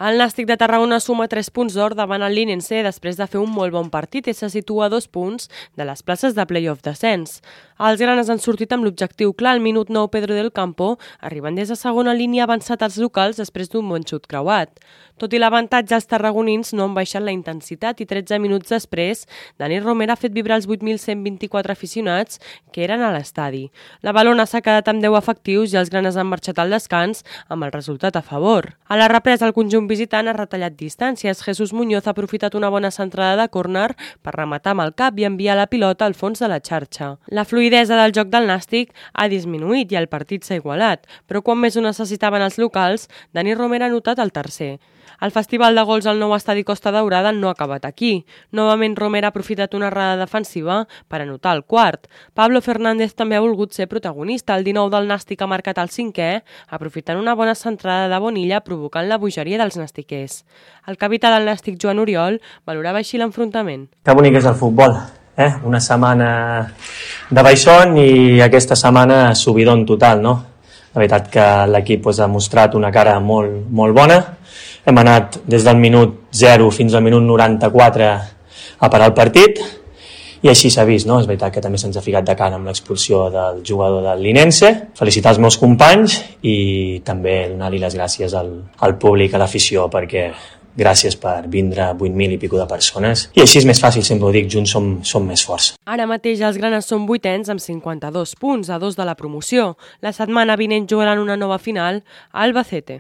El Nàstic de Tarragona suma 3 punts d'or davant el Linense després de fer un molt bon partit i se situa a 2 punts de les places de play-off descens. Els granes han sortit amb l'objectiu clar al minut 9 Pedro del Campo, arribant des de segona línia avançat als locals després d'un bon xut creuat. Tot i l'avantatge, els tarragonins no han baixat la intensitat i 13 minuts després, Dani Romera ha fet vibrar els 8.124 aficionats que eren a l'estadi. La Valona s'ha quedat amb 10 efectius i els granes han marxat al descans amb el resultat a favor. A la represa, el conjunt visitant ha retallat distàncies. Jesús Muñoz ha aprofitat una bona centrada de córner per rematar amb el cap i enviar la pilota al fons de la xarxa. La fluïdesa del joc del Nàstic ha disminuït i el partit s'ha igualat, però quan més ho necessitaven els locals, Dani Romera ha notat el tercer. El festival de gols al nou estadi Costa Daurada no ha acabat aquí. Novament Romera ha aprofitat una errada defensiva per anotar el quart. Pablo Fernández també ha volgut ser protagonista. El 19 del Nàstic ha marcat el 5è, aprofitant una bona centrada de Bonilla provocant la bogeria dels nastiquers. El capità del Nàstic, Joan Oriol, valorava així l'enfrontament. Que bonic és el futbol, Una setmana de baixón i aquesta setmana subidon total, no? La veritat que l'equip ha mostrat una cara molt bona. Hem anat des del minut 0 fins al minut 94 a parar el partit i així s'ha vist, no? És veritat que també se'ns ha ficat de cara amb l'expulsió del jugador del Linense. Felicitar els meus companys i també donar-li les gràcies al públic, a l'afició, perquè gràcies per vindre 8.000 i pico de persones. I així és més fàcil, sempre ho dic, junts som més forts. Ara mateix els granes són 8ens amb 52 punts, a 2 de la promoció. La setmana vinent jugaran una nova final a Albacete.